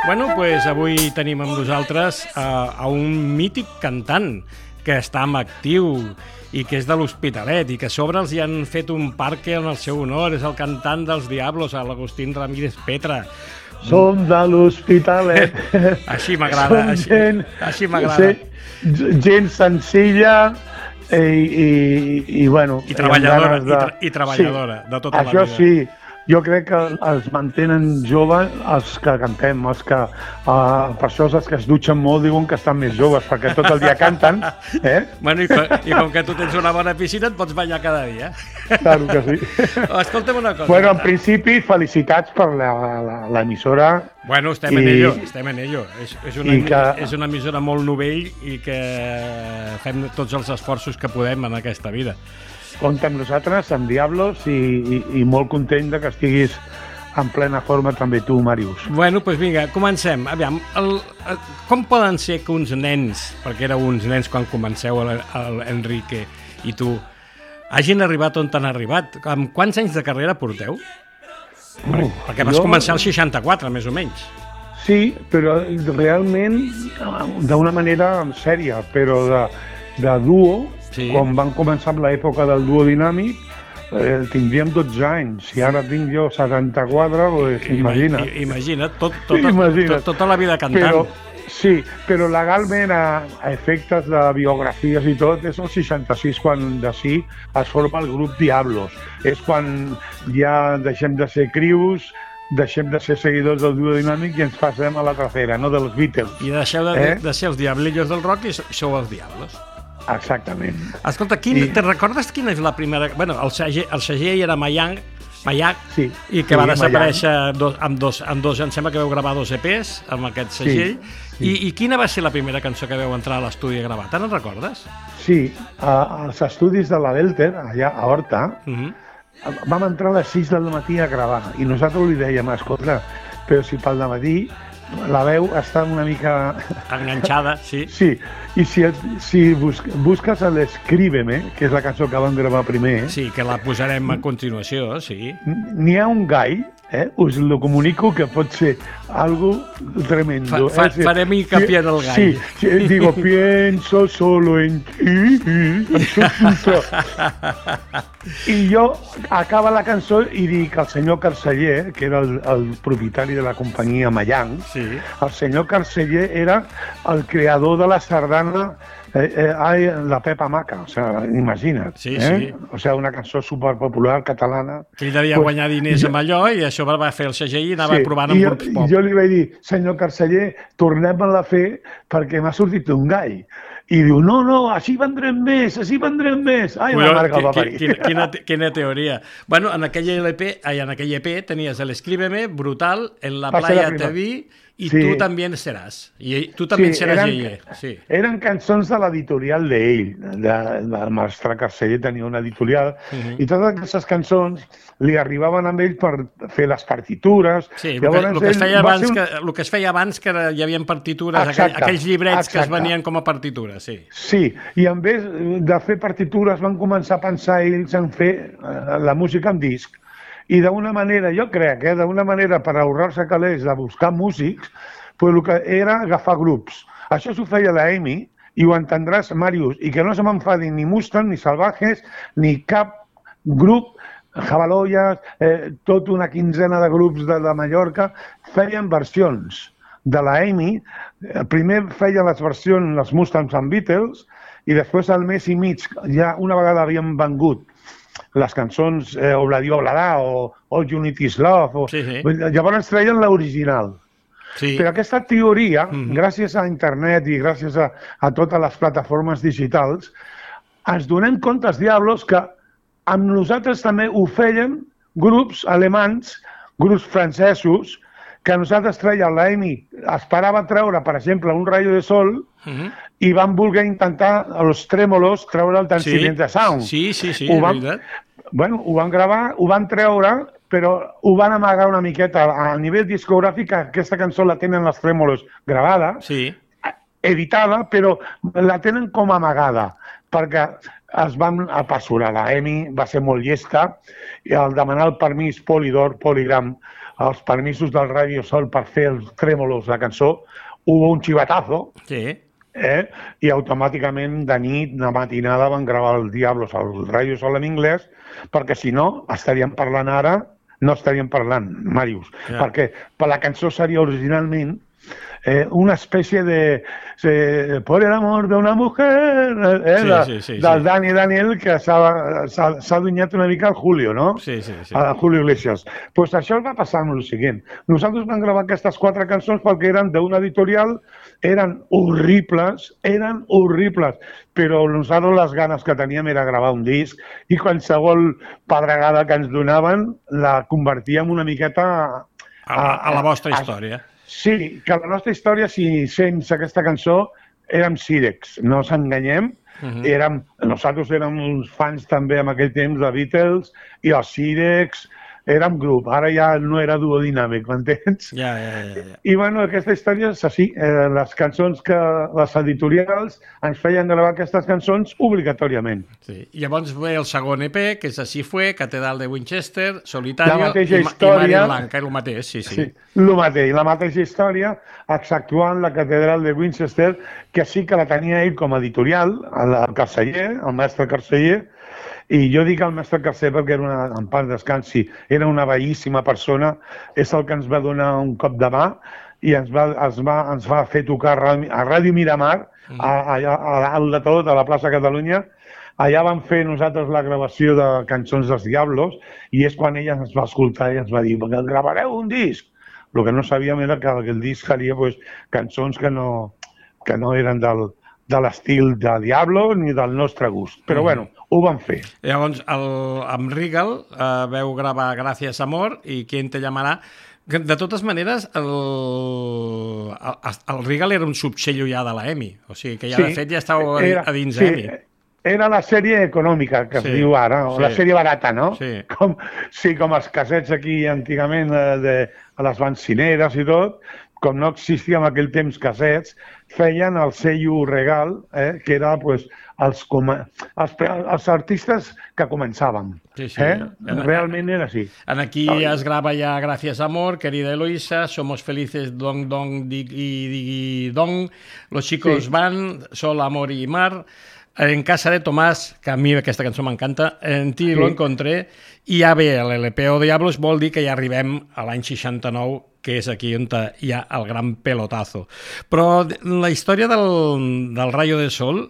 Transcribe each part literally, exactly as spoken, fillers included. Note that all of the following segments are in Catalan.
Bueno, doncs avui tenim amb nosaltres a, a un mític cantant que està en actiu i que és de l'Hospitalet i que a sobre els hi han fet un parque en el seu honor. És el cantant dels Diablos, l'Agustín Ramírez Petra. Som de l'Hospitalet. Així m'agrada, així, gent, així m'agrada. Gent senzilla i, i, i bueno... I treballadora, de... i, tra i treballadora, sí, de tota la vida. Això sí, jo crec que els mantenen joves els que cantem, els que, uh, per això els que es dutxen molt diuen que estan més joves, perquè tot el dia canten. Eh? Bueno, i, i com que tu tens una bona piscina et pots banyar cada dia. Claro que sí. Escolta'm una cosa. Bueno, en principi, felicitats per l'emissora. Bueno, estem i, en ello, estem en ello. És, és, una, que... és una emissora molt novell i que fem tots els esforços que podem en aquesta vida. Compte amb nosaltres, amb Diablos, i, i, i molt content de que estiguis en plena forma també tu, Màrius. Bueno, doncs vinga, comencem. Aviam, el, el, com poden ser que uns nens, perquè éreu uns nens quan comenceu, l'Enrique i tu, hagin arribat on han arribat? Amb quants anys de carrera porteu? Uh, perquè vas jo... començar al seixanta-quatre, més o menys. Sí, però realment d'una manera sèria, però de, de duo, sí. Quan van començar amb l'època del duo dinàmic, eh, tindríem dotze anys, i ara tinc jo setanta-quatre, pues, imagina't. Imagina't, tot, tot, imagina't. Tot, tota la vida cantant. Però, sí, però legalment, a, a efectes de biografies i tot, és el seixanta-sis quan d'ací es forma el grup Diablos. És quan ja deixem de ser crius, deixem de ser seguidors del duo dinàmic i ens passem a la trasera, no dels Beatles. I deixeu de, eh? de ser els diablillos del rock i sou els Diablos. Exactament. Escolta, quin, I... te recordes quina és la primera... Bueno, el segell, el segell era Mayang, Mayac, sí, i que sí, va desaparèixer dos, amb, dos, amb dos... Em sembla que veu gravar dos E Pes amb aquest segell. Sí, sí. I, I quina va ser la primera cançó que veu entrar a l'estudi a gravar? Te'n recordes? Sí, als estudis de la Belter, allà a Horta, uh -huh. vam entrar a les sis del matí a gravar i nosaltres li dèiem, escolta, però si pel dematí la veu està una mica... enganxada, sí. Sí, i si, si bus, busques l'Escríbeme, que és la cançó que vam gravar primer... Sí, que la posarem a continuació, sí. N'hi ha un gall, eh? Us lo comunico, que pot ser algo tremendo. Fa, fa, eh? Farem hincapié en el gall. Sí, sí, digo, pienso solo en ti. I jo acaba la cançó i dic al senyor Carceller, que era el, el propietari de la companyia Mayang, sí. El senyor Carceller era el creador de la sardana eh, eh, La Pepa Maca, o sea, imagina't. Sí, eh? sí. O sea, una cançó superpopular catalana. Que ell devia pues, guanyar diners jo, amb allò i això va fer el segell i anava sí, provant amb grups pop. I jo li vaig dir, senyor Carceller, tornem-la a fer perquè m'ha sortit un gall. I diu, no, no, així vendrem més, així vendrem més. Ai, Colló, la marca va parir. Quina, quina, quina teoria. Bueno, en aquell L P, ai, en aquell E P tenies l'Escríbeme, Brutal, En la playa te vi, i sí. Tu també seràs. I tu també sí, seràs Yeye. Sí. Eren cançons de l'editorial d'ell, de, del mestre Carceller tenia una editorial, uh -huh. i totes aquestes cançons li arribaven amb ell per fer les partitures. Sí, el que, el que, es, feia abans, un... que, el que es feia abans que hi havia partitures, exacte, aquell, aquells llibrets exacte. Que es venien com a partitures, sí. Sí, i en vez de fer partitures van començar a pensar ells en fer uh, la música en disc. I d'una manera, jo crec, eh, d'una manera per ahorrar-se calés de buscar músics, pues el que era agafar grups. Això s'ho feia la Amy, i ho entendràs, Màrius, i que no se m'enfadin ni Mustang, ni Salvajes, ni cap grup, Jabaloyas, eh, tota una quinzena de grups de, de Mallorca, feien versions de la Amy. Primer feia les versions, les Mustangs amb Beatles, i després al mes i mig, ja una vegada havien vengut les cançons eh, Obladi Oblada o All You Need Is Love. O... Sí, sí. Llavors treien l'original. Sí. Però aquesta teoria, mm-hmm. gràcies a internet i gràcies a, a totes les plataformes digitals, ens donem compte, els Diablos, que amb nosaltres també ho feien grups alemans, grups francesos, que nosaltres treien l'Amy, esperava treure, per exemple, un rayo de sol, mm-hmm. i van voler intentar, els trèmolos, treure el Dancing in the Sound. Sí, sí, sí, ho van, bueno, ho van gravar, ho van treure, però ho van amagar una miqueta. A nivell discogràfic, aquesta cançó la tenen els trèmolos gravada, sí. editada, però la tenen com amagada, perquè es van apassurar. La Amy va ser molt llesta, i al demanar el permís Polydor, Polygram, els permisos del Radio Sol per fer els trèmolos, la cançó, hubo un chivatazo, Sí. eh? I automàticament de nit, de matinada, van gravar el Diablos al Radio Sol en anglès, perquè si no, estaríem parlant ara, no estaríem parlant, Màrius, Ja. perquè per la cançó seria originalment eh, una espècie de eh, por el amor de una mujer eh, Sí, de, sí, sí, del sí. Dani Daniel que s'ha s'ha- s'ha adunyat una mica al Julio, no? Sí, sí, sí. A Julio Iglesias. Pues això va passar amb el següent. Nosaltres vam gravar aquestes quatre cançons perquè eren d'una editorial, eren horribles, eren horribles, però nosaltres les ganes que teníem era gravar un disc i qualsevol pedregada que ens donaven la convertíem una miqueta A, a, a la vostra a- història. Sí, que la nostra història, si sense aquesta cançó, érem Sirex, no ens enganyem. Uh -huh. érem, nosaltres érem uns fans també en aquell temps de Beatles i els Sirex, érem grup, ara ja no era duodinàmic, m'entens? Ja, ja, ja, ja. I bueno, aquesta història és així, eh, les cançons que les editorials ens feien gravar aquestes cançons obligatòriament. Sí. I llavors ve el segon E P, que és Així fue, Catedral de Winchester, Solitario La mateixa i, Ma- història. i Maria Blanca, és el mateix, sí, sí. Sí, el mateix, la mateixa història, exceptuant la catedral de Winchester, que sí que la tenia ell com a editorial, el, el Carceller, el mestre Carceller, i jo dic el mestre Carcer perquè era una, en part descansi, era una bellíssima persona, és el que ens va donar un cop de mà i ens va, ens va, ens va fer tocar a Ràdio- a Ràdio Miramar, a, allà a dalt de tot, a la plaça Catalunya. Allà vam fer nosaltres la gravació de cançons dels Diablos i és quan ella ens va escoltar i ens va dir que gravareu un disc. El que no sabíem era que el disc seria pues, cançons que no, que no eren del, de l'estil de Diablo ni del nostre gust. Però bueno, ho vam fer. Llavors, el, amb Regal eh, veu gravar Gràcies Amor i Quién te llamarà. Que, de totes maneres, el, el, el Regal era un subsello ja de la EMI. O sigui que ja, de fet, ja estàu a, a dins sí, EMI. Era la sèrie econòmica, que Sí, es diu ara, o sí. la sèrie barata, no? Sí. Com, sí, com els cassets aquí antigament eh, de, a les bencineres i tot, com no existia en aquell temps cassets, feien el sello Regal, eh, que era pues, els, com, els, els artistes que començàvem. Sí, sí. Eh? Realment era així. En aquí es grava ja Gracias Amor, Querida Eloisa, Somos Felices, Dong Dong Digui Digui Dong, Los Chicos Sí. Van, Sol, Amor y Mar, En Casa de Tomàs, que a mi aquesta cançó m'encanta, En ti Sí. lo encontré, i ja ve l'L P O Diablos, vol dir que ja arribem a l'any seixanta-nou, que és aquí on hi ha el gran pelotazo. Però la història del, del Rayo de Sol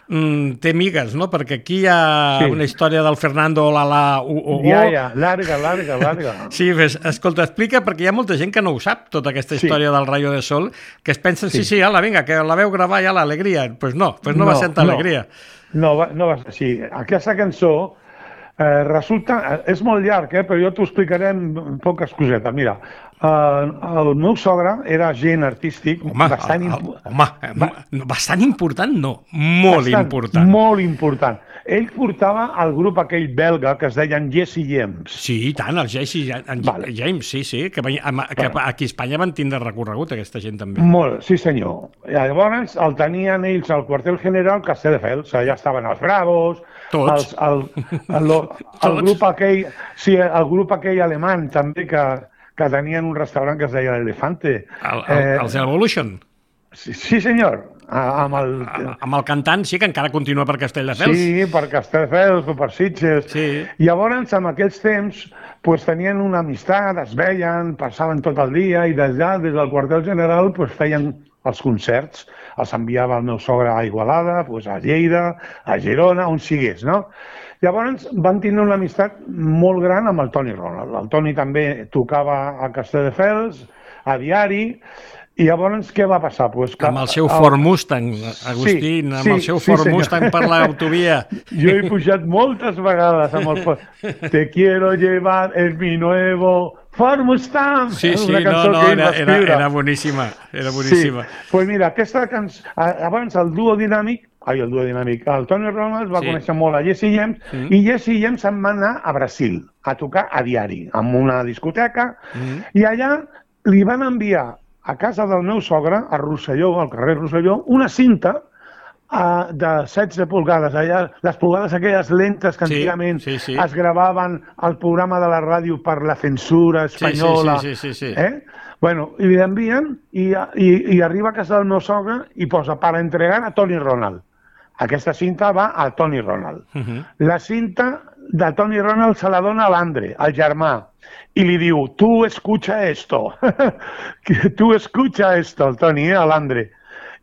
mm, té migues, no? Perquè aquí hi ha Sí. una història del Fernando Olala U O O. Ja, ja, larga, larga, larga. Sí, ves, escolta, explica, perquè hi ha molta gent que no ho sap, tota aquesta Sí. història del Rayo de Sol, que es pensen, sí, Sí. sí, ala, vinga, que la veu gravar ja l'alegria. Doncs pues no, pues no, no va ser tanta alegria. No, va, no va ser així. Aquesta cançó eh, resulta... És molt llarg, eh, però jo t'ho explicaré en poques cosetes. Mira, eh, el meu sogre era agent artístic Home, bastant, el, el, impo- home Va- no, bastant important, no, molt bastant, important. Molt important. Ell portava el grup aquell belga que es deien Jesse James. Sí, i tant, el Jesse en Vale. James, sí, sí, que, que aquí a Espanya van tindre recorregut aquesta gent també. Molt, sí senyor. I llavors el tenien ells al quartel general Castelldefels, allà estaven els Bravos, Tots. els, el, el, el, el, grup aquell, sí, el grup aquell alemany també que, que tenien un restaurant que es deia l'Elefante. El, el, eh, els Evolution. Sí, sí senyor, amb el... Amb el cantant sí que encara continua per Castelldefels. Sí, per Castelldefels o per Sitges. Sí. Llavors, en aquells temps, pues, tenien una amistat, es veien, passaven tot el dia i d'allà, des del quartel general, pues, feien els concerts. Els enviava el meu sogre a Igualada, pues, a Lleida, a Girona, on sigués, no? Llavors van tindre una amistat molt gran amb el Toni Ronald. El Toni també tocava a Castelldefels, a Diari, i llavors què va passar? Pues que, amb el seu Ford Mustang, Agustín, sí, amb el sí, seu sí, Ford senyor. Mustang per l'autovia. Jo he pujat moltes vegades amb el Ford. Te quiero llevar, es mi nuevo Ford Mustang. Sí, sí, una no, cançó no, que ell era, va era, escriure. era boníssima, era boníssima. Sí, pues mira, aquesta cançó, abans el duo dinàmic, ai, el duo dinàmic, el Toni Ronald va Sí. conèixer molt a Jesse James, Mm. i Jesse James se'n va anar a Brasil a tocar a Diari, en una discoteca, Mm. i allà li van enviar a casa del meu sogre, a Rosselló, al carrer Rosselló, una cinta uh, de setze pulgades, allà, les pulgades aquelles lentes que Sí, antigament sí, sí. es gravaven al programa de la ràdio per la censura espanyola. Sí, sí, sí, sí, sí. Eh? Bueno, i li envien i, i, i arriba a casa del meu sogre i posa per entregar a Tony Ronald. Aquesta cinta va a Tony Ronald. Uh -huh. La cinta de Tony Ronald se la dona a l'Andre, al germà, i li diu, tu escucha esto, tu escucha esto, el Tony, eh, a l'Andre.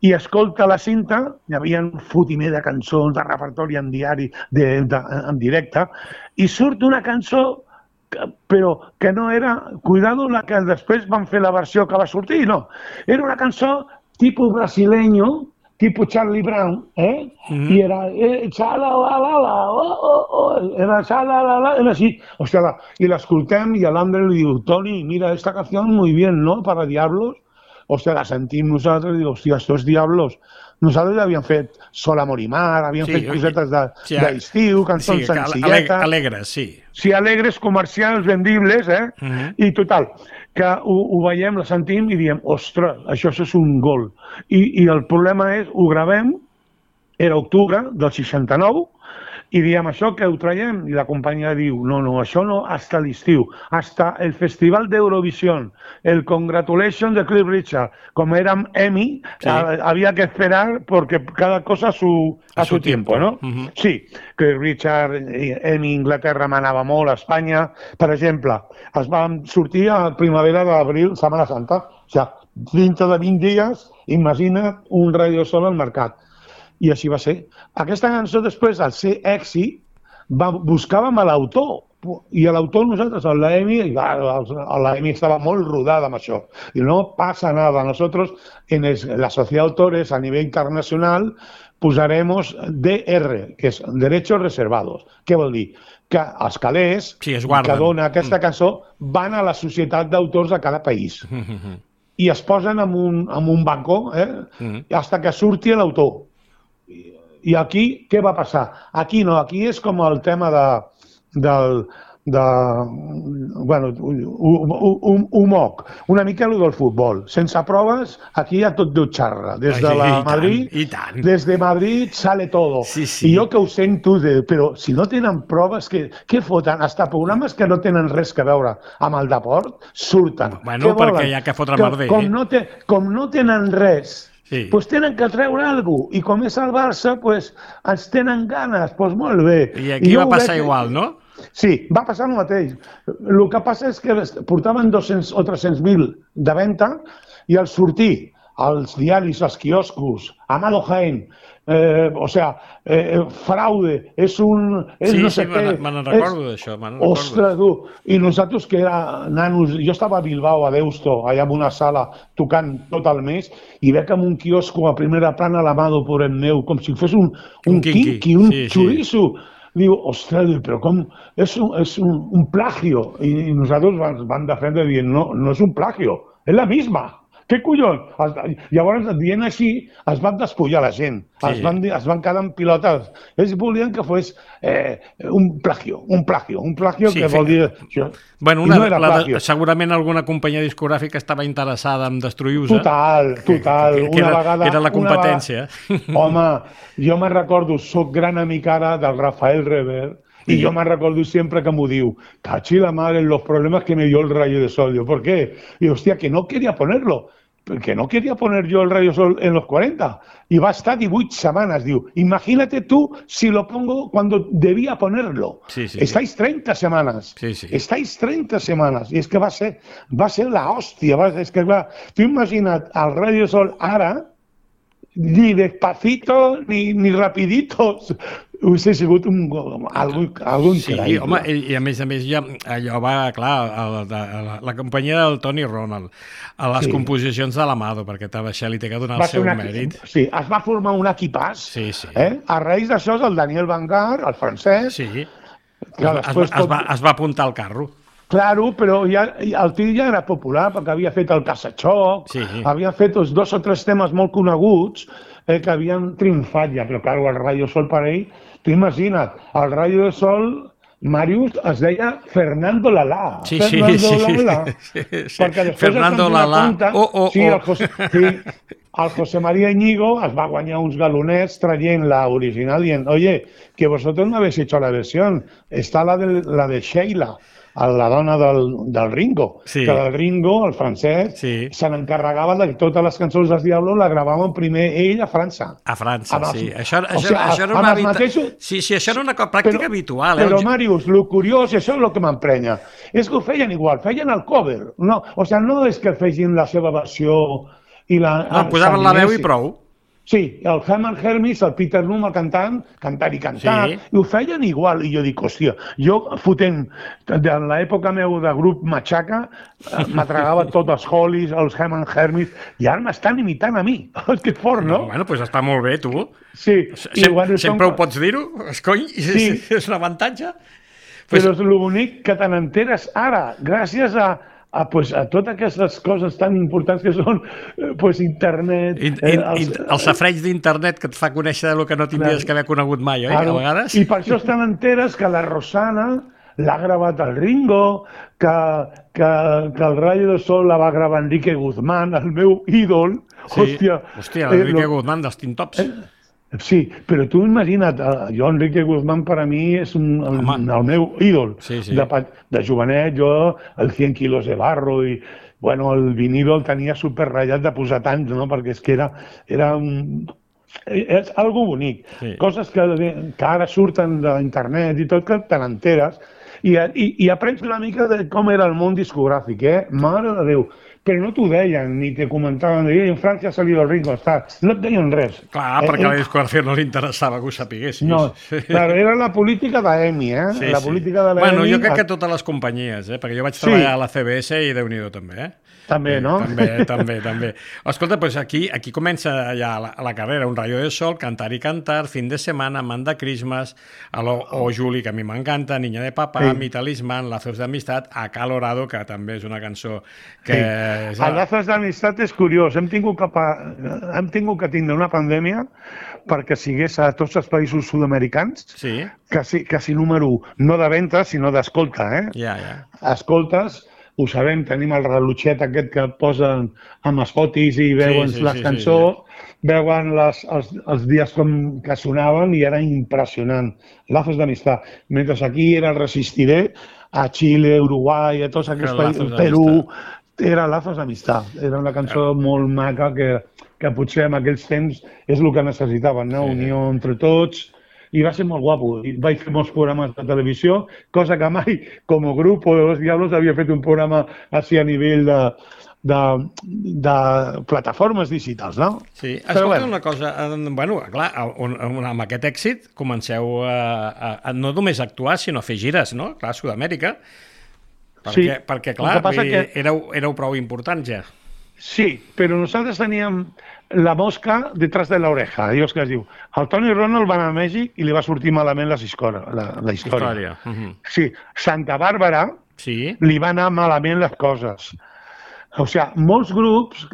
I escolta la cinta, hi havia un fotimer de cançons, de repertori en diari, de, de, en directe, i surt una cançó, que, però que no era, cuidado, la que després van fer la versió que va sortir, no. Era una cançó tipus brasileño, tipus Charlie Brown, eh? Mm-hmm. I era, eh, xala-la-la-la, oh, oh, oh, era xala-la-la, era així. Hòstia, la, i l'escoltem i l'Andre li diu, Toni, mira, esta canción muy bien, ¿no? Para Diablos. Hòstia, la sentim nosaltres i diu, hòstia, estos Diablos. Nosaltres havíem fet Sol, Amor i Mar, havíem sí, fet cosetes d'estiu, de, sí, cançons sí, senzilletes. Alegres, sí. Sí, alegres, comercials, vendibles, eh? Mm-hmm. I total, que ho, ho veiem, la sentim i diem, ostres, això és un gol. I, i el problema és, ho gravem, era octubre del seixanta-nou, i diem això que ho traiem, i la companyia diu, no, no, això no, hasta l'estiu, hasta el Festival d'Eurovisió, el Congratulations de Cliff Richard, com érem Emmy, sí. Havia que esperar perquè cada cosa a su, a a su, su tiempo, tiempo, ¿no? Uh-huh. Sí, Cliff Richard, Emmy, Inglaterra manava molt, a Espanya, per exemple, es van sortir a primavera d'abril, Setmana Santa, o sigui, dintre de vint dies, imagina un Radio Sol al mercat. I així va ser. Aquesta cançó després, al ser èxit, va, buscàvem a l'autor. I a l'autor nosaltres, a l'Emi, a l'Emi estava molt rodada amb això. I no passa nada. Nosotros, en el, la Sociedad de Autores, a nivell internacional, posaremos D R, que és Derechos Reservados. Què vol dir? Que els calés sí, que dona aquesta cançó van a la societat d'autors de cada país. I es posen en un, en un banco, eh? Mm. Hasta que surti l'autor. I aquí, què va passar? Aquí no, aquí és com el tema de, del, de, bueno, un, un moc, una mica el del futbol. Sense proves, aquí hi ha tot de xarra. Des de la I Madrid, tant, i tant. Des de Madrid sale todo. Sí, sí. I jo que ho sento, de, però si no tenen proves, què, què foten? Hasta programes que no tenen res que veure amb el deport, surten. Bueno, perquè hi ha que fotre merder. Com no, te, com no tenen res, sí. Pues tenen que treure alguna cosa. I com és el Barça, pues, ens tenen ganes. Pues molt bé. I aquí I va passar veig... igual, no? Sí, va passar el mateix. El que passa és que portaven dos-cents o tres-cents mil de venda i al sortir als diaris, als quioscos, Amado Jaén, eh, o sea, eh, fraude, és un... És sí, no sí, sé me n'en recordo d'això. Ostres, tu, i nosaltres que era nanos, jo estava a Bilbao, a Deusto, allà en una sala, tocant tot el mes, i veig en un quiosco a primera plana l'Amado por el meu, com si fos un, un, un quinqui, un sí, xoriço. Sí. Diu, ostres, però com... És un, és un, un plagio. I, i nosaltres van, van defendre dient, no, no és un plagio, és la misma. Què collons? Llavors, dient així, es van despullar la gent, sí. es, van, es van quedar en pilotes. Ells volien que fos eh, un plagio, un plagio, un plagio sí, que vol dir... Això. Bueno, una, no era plagio. La, segurament alguna companyia discogràfica estava interessada en destruir-vos. Total, total. Que, que, que una era, vegada, era la competència. Vegada, home, jo me'n recordo, soc gran amic ara del Rafael Rever, y yo me recuerdo siempre que me diu, cachi la madre, los problemas que me dio el Rayo de Sol. Yo, ¿por qué? Y hostia, que no quería ponerlo. Que no quería poner yo el Rayo Sol en los cuarenta. Y va a estar divuit semanas. Diu, imagínate tú si lo pongo cuando debía ponerlo. Sí, sí, Estáis sí. treinta semanas. Sí, sí. Estáis treinta semanas. Y es que va a ser, va a ser la hostia. Va, es que va, tú imaginas al Rayo Sol ara, ni despacito, ni, ni rapiditos. Hubiese sigut un, algun, algun sí, increïble. Home, i, i a més a més ja, allò va, clar, a la, a la, la companyia del Tony Ronald, a les sí. composicions de l'Amado, perquè això li té que donar va el seu una, mèrit. Sí, es va formar un equipàs. Sí, sí. Eh? A raïs d'això és el Daniel Vangar, el francès. Sí, que es, es, tot... es, va, es va apuntar al carro. Claro, però ja, el tio ja era popular, perquè havia fet el Casachoc, sí. havia fet els dos o tres temes molt coneguts eh, que havien triomfat ja, però clar, el Rayo Sol per ell, tu imagina't, el Rayo de Sol Màrius es deia Fernando Lalá. Sí, Fernando sí, sí, Lalá. sí, sí. Perquè després Fernando es van Lalá. compte, Oh, oh, sí, oh. el José, sí, el José María Íñigo es va guanyar uns galonets traient la original dient, oye, que vosotros no habéis hecho la versión, está la de, la de Sheila, la dona del, del Ringo, Sí. que el Ringo, el francès, Sí. se n'encarregava de que totes les cançons dels Diablos la gravaven primer ell a França. A França, Amb els- sí. Això, o això, sigui, això era amb una els habita... mateixos- Sí, sí, això era una co- pràctica habitual. Eh? Però, El- Màrius, el curiós, i això és el que m'emprenya, és que ho feien igual, feien el cover. No, o sigui, no és que fessin la seva versió i la... No, posaven la veu i s'aniessin. prou. Sí, el Herman Hermits, el Peter Noom, el cantant, cantar i cantar, Sí. i ho feien igual. I jo dic, hòstia, jo fotent, de l'època meu de grup Machaca, eh, m'atragava tots els Hollies, els Herman Hermits, i ara m'estan imitant a mi. És que és fort, no? Bueno, doncs està molt bé, tu. Sí. Sem bueno, sempre són- ho pots dir-ho, escony, Sí. és un avantatge. Però és el bonic que te n'enteres ara, gràcies a, a, pues, a totes aquestes coses tan importants que són eh, pues, internet... In, eh, in, els- in, el safreig d'internet que et fa conèixer el que no tindries Clar. que haver conegut mai, oi? Claro. A vegades. I per això te n'enteres que la Rosana l'ha gravat el Ringo, que, que, que el Rayo de Sol la va gravar Enrique Guzmán, el meu ídol. Sí. Hòstia, Hòstia, eh, l'Enrique lo- Guzmán dels Tintops. Eh, Sí, però tu imagina't, eh, jo, Enrique Guzmán, per a mi és un, el, Home. el meu ídol. Sí, sí. De, pa- de jovenet, jo, el cent quilos de barro, i bueno, el vinilo el tenia superratllat de posar tants, no? Perquè és que era, era un... És algo bonic. Sí. Coses que, que ara surten d'internet i tot, que te n'enteres, i, i, i aprens una mica de com era el món discogràfic, eh? Mare de Déu. Però no t'ho deien, ni te comentaven, de, en França ha salido el Ringo Starr. No et deien res. Clar, Eh, perquè a eh, la discografia no li interessava que ho sapiguessis. No, claro, era la política de EMI, eh? Sí, la sí. política de la Bueno, EMI... jo crec que totes les companyies, eh? Perquè jo vaig Sí. treballar a la C B S i Déu-n'hi-do també, eh? També, no? També, també, també. Escolta, doncs aquí, aquí comença ja la, la carrera, Un rayo de sol, Cantar y cantar, Fin de semana, Manda Christmas, a lo, o Juli, que a mi m'encanta, Niña de papá, Sí. Mi talismán, Lazos d'amistat, Acalorado, que també és una cançó que... Sí. És, El Lazos d'amistat és curiós. Hem tingut, que, pa- hem tingut que tindre una pandèmia perquè sigués a tots els països sud-americans, Sí, quasi, quasi número un, no de venda, sinó d'escolta, eh? ja, ja. Escoltes, ho sabem, tenim el relotxet aquest que posen amb els fotis i veuen sí, les sí, cançons, veuen les, els, els dies com que sonaven i era impressionant. Lazos d'amistat. Mentre aquí era el Resistiré, a Xile, Uruguai, a tots aquests Lazos països, d'amistat. Perú, era Lazos d'amistat. Era una cançó molt maca que, que potser en aquells temps és el que necessitaven, no? Sí. Unió entre tots. I va ser molt guapo. I vaig fer molts programes de televisió, cosa que mai, com a grup de Los Diablos, havia fet un programa així a nivell de, de, de plataformes digitals, no? Sí, Però escolta bueno. una cosa, eh, bueno, clar, on, on, amb aquest èxit comenceu a, a, a no només a actuar, sinó a fer gires, no? Clar, a Sud-amèrica, perquè, Sí, perquè el clar, que passa vull dir, que- éreu, éreu prou importants ja. Sí, però nosaltres teníem la mosca detrás de l'oreja, allò que es diu. El Tony Ronald va anar a Mèxic i li va sortir malament les història, la, la història. Història. Uh -huh. Sí, Santa Bàrbara Sí, li va anar malament les coses. O sigui, molts grups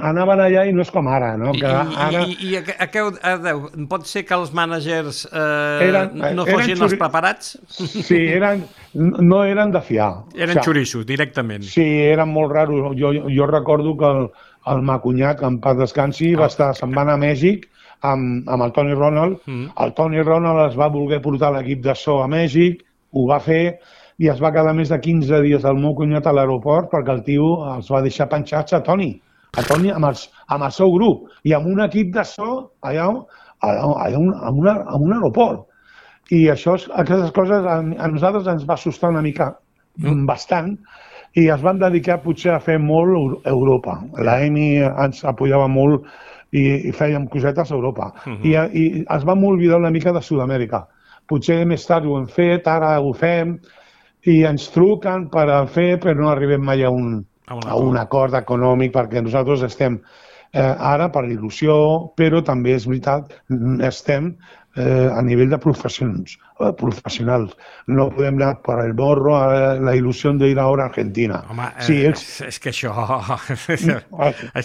anaven allà i no és com ara, no? I, Que ara... i, i, i a, què- a què ho- a, deu, pot ser que els mànagers eh, Eren- no eren fossin xuri- els preparats? Sí, eren, no eren de fiar. Eren O sigui, xoriços, directament. Sí, eren molt raros. Jo, jo recordo que el, el Macunyà, que en paz descansi, va estar, se'n va anar a Mèxic amb, amb el Tony Ronald. Mm. El Tony Ronald es va voler portar l'equip de so a Mèxic, ho va fer, i es va quedar més de quinze dies al meu cunyat a l'aeroport perquè el tio els va deixar penjats a Tony, a Tony amb, els, amb el seu grup, i amb un equip de so allà, allà, allà un, en, una, en un aeroport. I això, aquestes coses a, a nosaltres ens va assustar una mica, mm. bastant, i es van dedicar potser a fer molt a Europa. La EMI ens apoyava molt i, i fèiem cosetes a Europa. Uh -huh. I, I es vam oblidar una mica de Sud-amèrica. Potser més tard ho hem fet, ara ho fem, i ens truquen per a fer, però no arribem mai a un, A un a un acord econòmic, perquè nosaltres estem eh, ara per il·lusió, però també és veritat, estem eh, a nivell de professions, eh, professionals. No podem anar per el morro a la il·lusió d'ir ara a Argentina. Home, sí, eh, ells... és, és que això... No,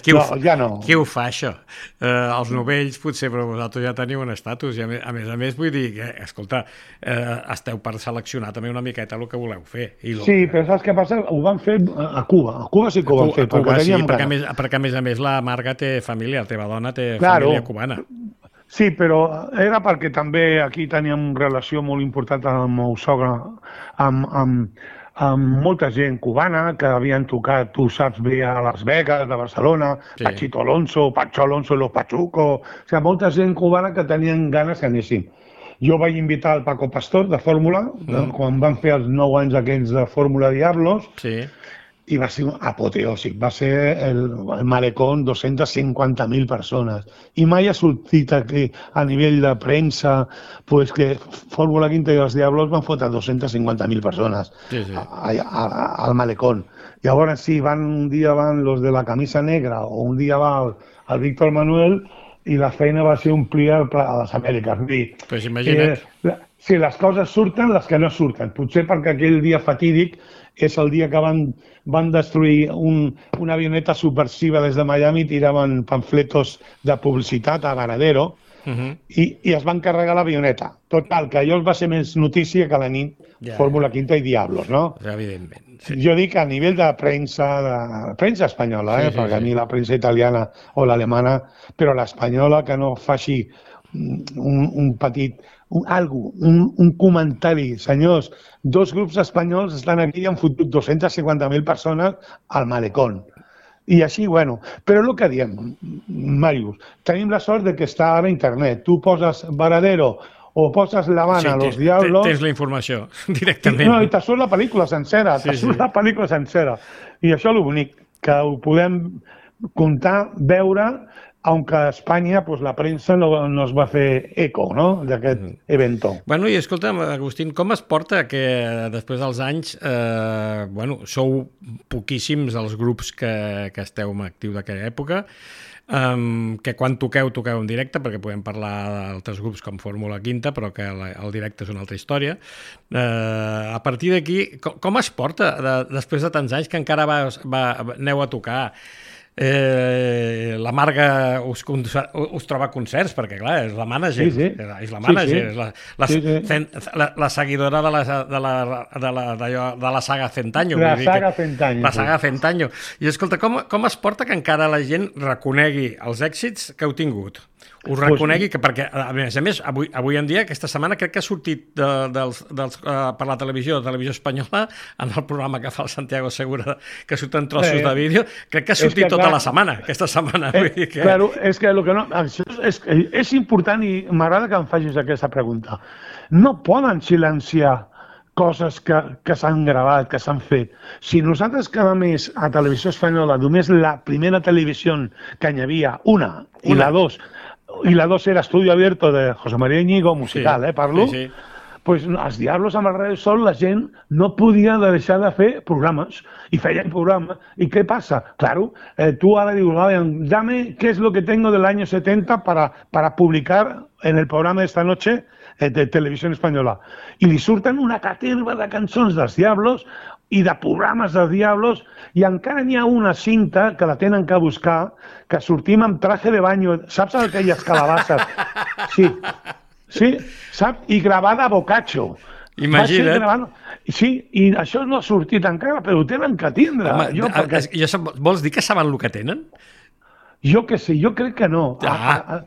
qui, ho no, fa, ja no. Qui ho fa, això? Eh, els novells, potser, però vosaltres ja teniu un estatus. I a més a més, a més vull dir que, escolta, eh, esteu per seleccionar també una miqueta el que voleu fer. I lo... Sí, però saps què passa? Ho van fer a Cuba. A Cuba sí que ho van fer. A Cuba, perquè, sí, perquè, a ganes. més, perquè a més a més la Marga té família, la teva dona té claro. família cubana. Sí, però era perquè també aquí teníem relació molt important amb el meu sogre, amb, amb, amb molta gent cubana que havien tocat, tu saps bé, a Las Vegas, de Barcelona, sí. Pachito Alonso, Pacho Alonso, Los Pachuco, o sigui, molta gent cubana que tenien ganes que anéssim. Jo vaig invitar el Paco Pastor de Fórmula, mm. quan van fer els nou anys aquells de Fórmula Diablos, sí. I va ser apoteòsic, va ser el, el malecón dos-centes cinquanta mil persones. I mai ha sortit aquí a nivell de premsa pues, que Fórmula Quinta i els Diablos van fotre dos-centes cinquanta mil persones sí, sí. A, a, a, al malecón. Llavors sí, van, un dia van los de la camisa negra o un dia va el, el Víctor Manuel i la feina va ser omplir a les Amèriques. Pues imagina't. Eh, si les coses surten, les que no surten. Potser perquè aquell dia fatídic és el dia que van, van destruir un, una avioneta subversiva des de Miami, tiraven pamfletos de publicitat a Varadero uh -huh. i, i es van carregar l'avioneta. Total, que allò va ser més notícia que la nit ja, Fórmula Quinta i Diablos, no? Evidentment. Sí. Jo dic a nivell de premsa, de premsa espanyola, eh? sí, sí, perquè sí. A mi la premsa italiana o l'alemana, però l'espanyola que no faci un, un petit... Un, algo, un, un comentari. Senyors, dos grups espanyols estan aquí i han fotut dos-centes cinquanta mil persones al malecón. I així, bueno, però el que diem, Màrius, tenim la sort de que està ara a internet. Tu poses Varadero o poses La Habana, sí, Los Diablos... Tens la informació directament. No, i te surt la pel·lícula sencera, sí, te surt sí. la pel·lícula sencera. I això és l'únic, que ho podem comptar, veure... aunque a Espanya pues, la premsa no, no es va fer eco no? d'aquest mm. evento. Bueno, i escolta'm, Agustín, com es porta que després dels anys eh, bueno, sou poquíssims els grups que, que esteu en actiu d'aquella època, um, que quan toqueu, toqueu en directe, perquè podem parlar d'altres grups com Fórmula Quinta, però que la, el directe és una altra història. Eh, a partir d'aquí, com, com es porta de, després de tants anys que encara va, va, aneu a tocar? Eh, la Marga us, us troba concerts perquè clar, és la mànager sí, sí. és la mànager sí, sí. És la, la, sí, sí. La, la seguidora de la, de la, de la, de la, de la saga Centanyo la saga Centanyo la saga Centanyo i escolta, com, com es porta que encara la gent reconegui els èxits que heu tingut? Us reconegui que, perquè, a més a més, avui, avui en dia, aquesta setmana, crec que ha sortit de, dels, dels, uh, per la televisió, de televisió espanyola, en el programa que fa el Santiago Segura, que surten trossos eh, de vídeo, crec que ha sortit que, tota clar, la setmana, aquesta setmana. Eh, vull dir que... Claro, és que, lo que no, això és, és important i m'agrada que em facis aquesta pregunta. No poden silenciar coses que, que s'han gravat, que s'han fet. Si nosaltres cada mes a Televisió Espanyola, només la primera televisió que hi havia, una, una. i la dos, i la dos era Estudio Abierto de José María Íñigo, musical, sí, eh, parlo, sí, sí. Pues els Diablos amb el Radio Sol la gent no podia deixar de fer programes i feien programes. I què passa? Claro, eh, tu ara dius, dame qué es lo que tengo del año setenta para, para publicar en el programa de esta noche eh, de Televisión Espanyola. I li surten una caterva de cançons dels Diablos i de programes dels Diablos, i encara n'hi ha una cinta que la tenen que buscar, que sortim amb traje de baño, saps aquelles calabasses? Sí, sí, saps? I gravada a Boccaccio. Imagina't. Gravant... Sí, i això no ha sortit encara, però ho tenen que tindre. Home, jo, perquè... jo, vols dir que saben el que tenen? Jo que sé, jo crec que no. Ah. A, a,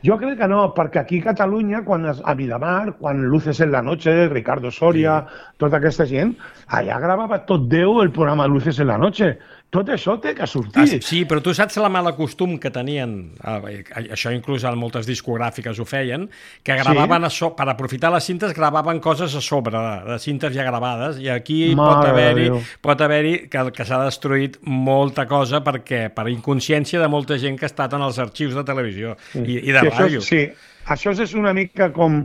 Jo crec que no, perquè aquí a Catalunya, quan es, a Miramar, quan Luces en la Noche, Ricardo Soria, sí. tota aquesta gent, allà gravava tot Déu el programa Luces en la Noche. Tot això té que sortir. Ah, sí, però tu saps la mala costum que tenien, això inclús en moltes discogràfiques ho feien, que gravaven, sí. a so, per aprofitar les cintes, gravaven coses a sobre de, de cintes ja gravades, i aquí Mare pot haver-hi pot haver-hi que, que s'ha destruït molta cosa perquè per inconsciència de molta gent que ha estat en els arxius de televisió sí. i, i de sí, ràdio. Això, sí, això és una mica com,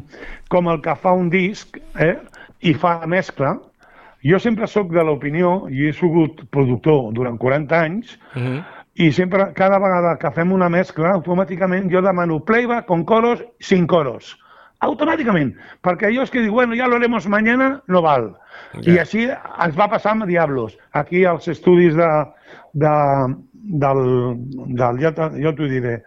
com el que fa un disc eh, i fa mescla. Jo sempre sóc de l'opinió, i he sigut productor durant quaranta anys, uh-huh. i sempre, cada vegada que fem una mescla, automàticament jo demano playback con coros, sin coros. automàticament, perquè allò és que diu, bueno, ja lo haremos mañana, no val. Ja. I així ens va passar amb Diablos, aquí als estudis de, de, del, del ja, ja t'ho diré,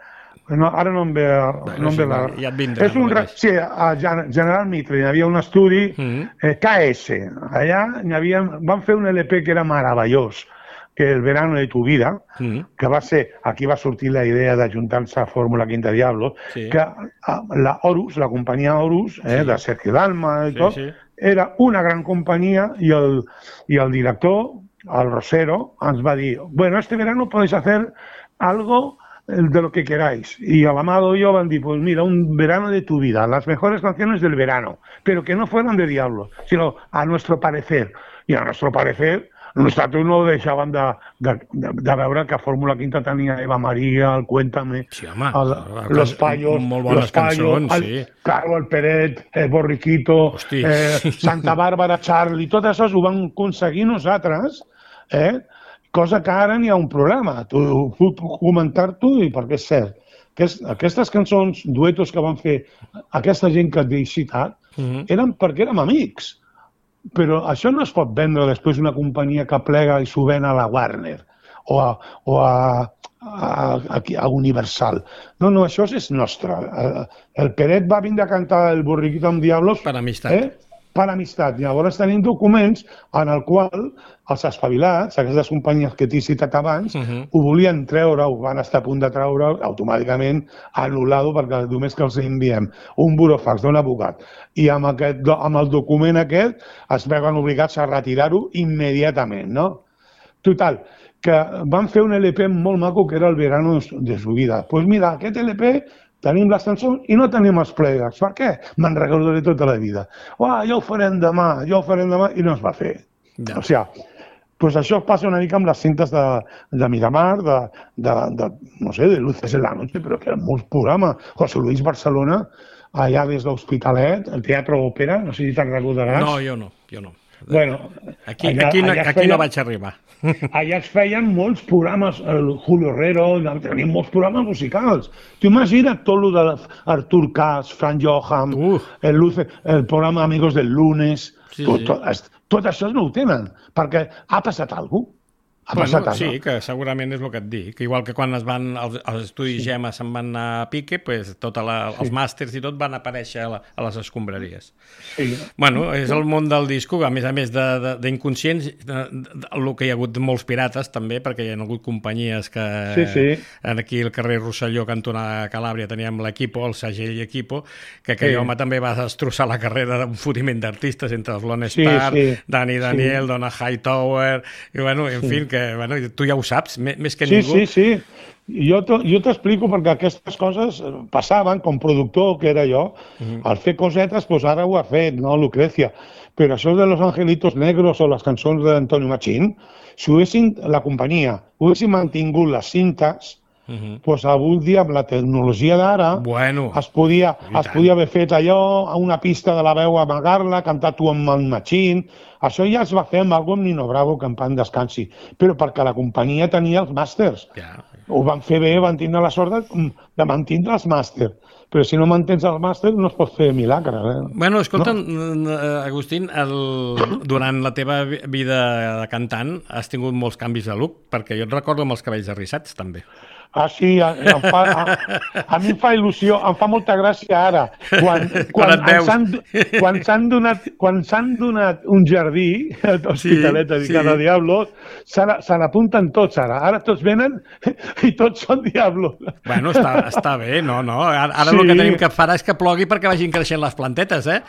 no, ara no em ve, Bé, no em ve sí, la... ja et vindrà. És un, no sí, a General Mitre hi havia un estudi, Mm. eh, K S, allà hi havia, van fer un L P que era meravellós, que El verano de tu vida, Mm. que va ser, aquí va sortir la idea d'ajuntar-se a Fórmula Quinta Diablo, Sí. que a, la Horus, la companyia Horus, eh, Sí. de Sergio Dalma i Sí, tot, sí. era una gran companyia i el, i el director, el Rosero, ens va dir, bueno, este verano podéis hacer algo de lo que queráis. Y al Amado y yo van a decir, pues mira, un verano de tu vida, las mejores canciones del verano, pero que no fueran de Diablo, sino a nuestro parecer. Y a nuestro parecer, nosaltres no deixàvem de, de, de, de veure que a Fórmula Quinta tenia Eva Maria, el Cuéntame, Sí, home, el, Los Payos, molt bones los Payos, cançons, el, sí. Claro, el Peret, el Borriquito, Hosti. eh, Santa Bàrbara, Charlie, tot això ho vam aconseguir nosaltres, eh? Cosa que ara n'hi ha un problema. Tu puc comentar-t'ho i perquè és cert. Aquest, aquestes cançons, duetos que van fer aquesta gent que et he citat, Mhm. eren perquè érem amics. Però això no es pot vendre després una companyia que plega i s'ho ven a la Warner o a, o a, a, a, a Universal. No, no, això és nostre. El Peret va vindre a cantar el Borriquito amb Diablos Per amistat. Eh? Per amistat. Llavors tenim documents en el qual els espavilats, aquestes companyies que t'he citat abans, Mhm. ho volien treure, ho van estar a punt de treure, automàticament anul·lado, perquè només que els enviem un burofax d'un advocat i amb, aquest, amb el document aquest es veuen obligats a retirar-ho immediatament, no? Total, que van fer un L P molt maco que era el verano de su vida. Doncs pues mira, aquest L P tenim les cançons i no tenim els playbacks. Per què? Me'n recordaré tota la vida. Uah, ja ho farem demà, ja ho farem demà, i no es va fer. Ja. O sigui, pues això passa una mica amb les cintes de, de Miramar, de, de, de, no sé, de Luces en la Noche, però que eren molts programes. José Luis Barcelona, allà des d'Hospitalet, el Teatre Òpera, no sé si te'n recordaràs. No, jo no, jo no. Bueno, Aquí, allà, aquí, no, allà aquí feien, no vaig arribar. Allà es feien molts programes, el Julio Herrero, tenim molts programes musicals. Tu imagina't tot el d'Artur Kaas, Frank Johan, Uh. el, Luce, el programa Amigos del Lunes, Sí, tot, sí. tot, tot això no ho tenen, perquè ha passat alguna cosa. Ha Bueno, passat sí, alguna que segurament és el que et dic. Que igual que quan es van, els, els estudis sí. Gemma se'n van anar a pique, pues, tot la, els màsters i tot van aparèixer a, la, a les escombraries. Sí. Bueno, és el món del disco, a més a més d'inconscients, el que hi ha hagut molts pirates també, perquè hi ha hagut companyies que Sí, sí. aquí al carrer Rosselló, cantonada Calàbria, teníem l'Equipo, el segell Equipo, que aquell Sí. home també va destrossar la carrera d'un fotiment d'artistes entre els Lone Sí, Star, sí. Dani Daniel, Sí. Donna Hightower, i bueno, en fi, que bueno, tu ja ho saps, més, més que Sí, ningú. sí, sí. Jo t'ho- jo t'explico perquè aquestes coses passaven, com productor que era jo, Mhm. al fer cosetes, doncs ara ho ha fet, no, Lucrecia. Però això de Los Angelitos Negros o les cançons d'Antonio Machín, si ho haguessin, la companyia, ho haguessin mantingut les cintes, Mhm. doncs avui dia amb la tecnologia d'ara Bueno, es podia, i es tant. podia haver fet allò, a una pista de la veu amagar-la, cantar tu amb el Machín. Això ja es va fer amb algú amb Nino Bravo, que en pan descansi. Però perquè la companyia tenia els màsters. ja. Ho van fer bé, van tindre la sort de, de mantindre els màsters. Però si no mantens els màsters no es pot fer milagres. Eh? Bueno, escolta, no? Agustín, el, durant la teva vi- vida de cantant has tingut molts canvis de look, perquè jo et recordo amb els cabells arrissats, també. Ah, sí, a, em fa, a, a mi em fa il·lusió, em fa molta gràcia ara, quan, Quan quan, et veus. ens han, quan s'han donat, quan s'han donat un jardí, l'Hospitalet Sí, dedicat sí. a Diablos, se na- se n'apunten tots ara. Ara tots venen i tots són Diablos. Bueno, està, està bé, no, no. Ara, ara Sí. el que tenim que fer és que plogui perquè vagin creixent les plantetes, eh?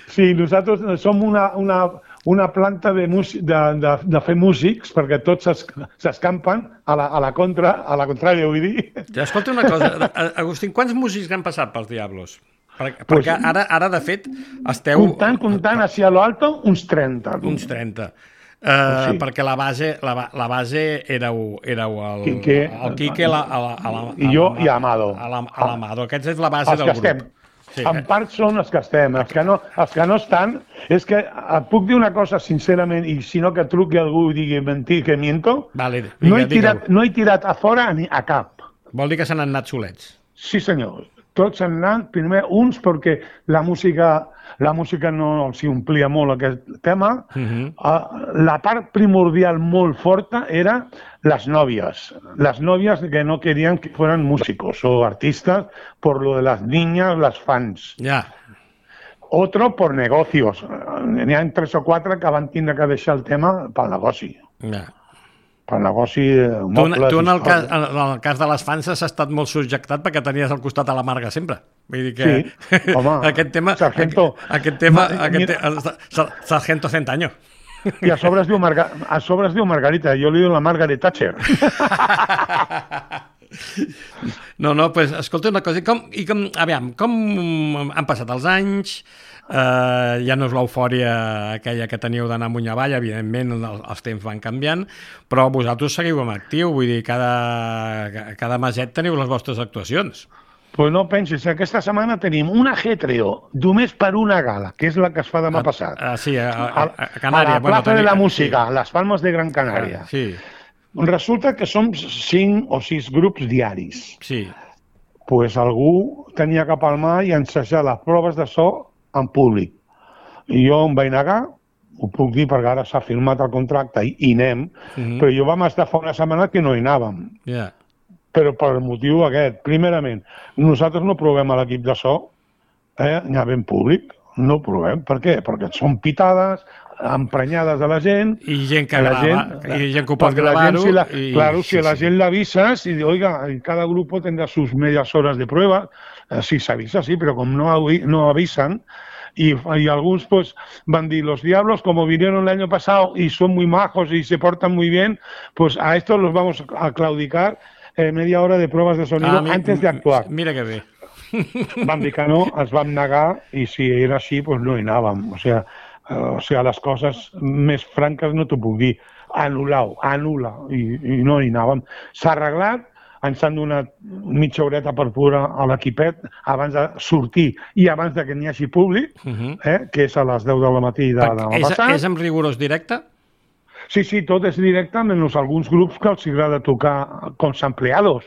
Sí, nosaltres som una, una, una planta de, músic, de, de, de fer músics, perquè tots s'es- s'escampen a, la, a la contra, a la contrària, vull dir. Ja, escolta una cosa, Agustín, quants músics han passat pels Diablos? Perquè, Pues- perquè ara, ara, de fet, esteu... Comptant, comptant, així a lo alto, uns trenta. Uns trenta. Uh, Sí. Perquè la base, la, ba- la base éreu, éreu el, Quique, el Quique la, a la, a la, i jo i Amado. A la- a l'Amado. Aquesta és la base Els del que grup. estem. Sí. En part són els que estem, els que, no, els que no estan, és que et puc dir una cosa sincerament, i si no que truqui algú i digui mentir, que miento, Vale, digue, no, he digue-ho. tirat, no he tirat a fora ni a cap. Vol dir que s'han anat solets. Sí senyor, tots han anat, primer uns perquè la música, la música no els omplia molt aquest tema. Uh-huh. uh, la part primordial molt forta era les nòvies. Les nòvies que no querían que fueran músicos o artistas por lo de las niñas, las fans. Ja. Yeah. Otro por negocios. N'hi ha tres o quatre que van tindre que deixar el tema pel negoci. Ja. Yeah. Pel negoci... Tu, tu en, el cas, en el cas de les fans has estat molt subjectat perquè tenies al costat a la Marga sempre. Vull dir que... Sí, home, aquest tema... Sargento... Aquest tema... Aquest te, Sargento cent años. I a sobre es diu, Marga, a sobre es diu Margarita, jo li diu la Margaret Thatcher. No, no, pues, escolta una cosa, i com, i com, aviam, com han passat els anys, eh, ja no és l'eufòria aquella que teníeu d'anar amunt i avall, evidentment el, els temps van canviant, però vosaltres seguiu en actiu, vull dir, cada, cada meset teniu les vostres actuacions. Pues no pensis, aquesta setmana tenim un ajetreo només per una gala, que és la que es fa demà passat. Ah, sí, a, a, a Canària. A la Plaça bueno, de la Música, sí. Les Palmes de Gran Canària. Ah, sí. Resulta que som cinc o sis grups diaris. Sí. Pues algú tenia que palmar i ensejar les proves de so en públic. I jo em vaig negar, ho puc dir perquè ara s'ha firmat el contracte i, i anem, mm-hmm. però jo vam estar fa una setmana que no hi anàvem. Ja. Yeah. Però per motiu aquest, primerament, nosaltres no provem a l'equip de so, eh, anava en públic, no ho provem. Per què? Perquè són pitades, emprenyades de la gent. I gent que grava, gent, i gent que ho pot gravar-ho. Si la, i... Claro, si sí, a la sí. gent l'avisas y oiga, cada grupo tendrá sus medias horas de prueba, eh, sí s'avisa, sí, però com no, no avisan, y, y algunos pues van a decir, los diablos como vinieron el año pasado y son muy majos y se portan muy bien, pues a estos los vamos a claudicar eh, media hora de pruebas de sonido ah, mi, antes de actuar. Mira que bé. Vam dir que no, ens vam negar i si era així, pues no hi anàvem. O sigui, uh, o sigui, les coses més franques no t'ho puc dir. Anul·lau, anul·la, i, i no hi anàvem. S'ha arreglat, ens han donat mitja horeta per pura a l'equipet abans de sortir i abans de que n'hi hagi públic, uh-huh. eh, que és a les deu del matí de demà passat. És amb rigorós directe? Sí, sí, tot és directe, menys alguns grups que els agrada tocar com sampleados.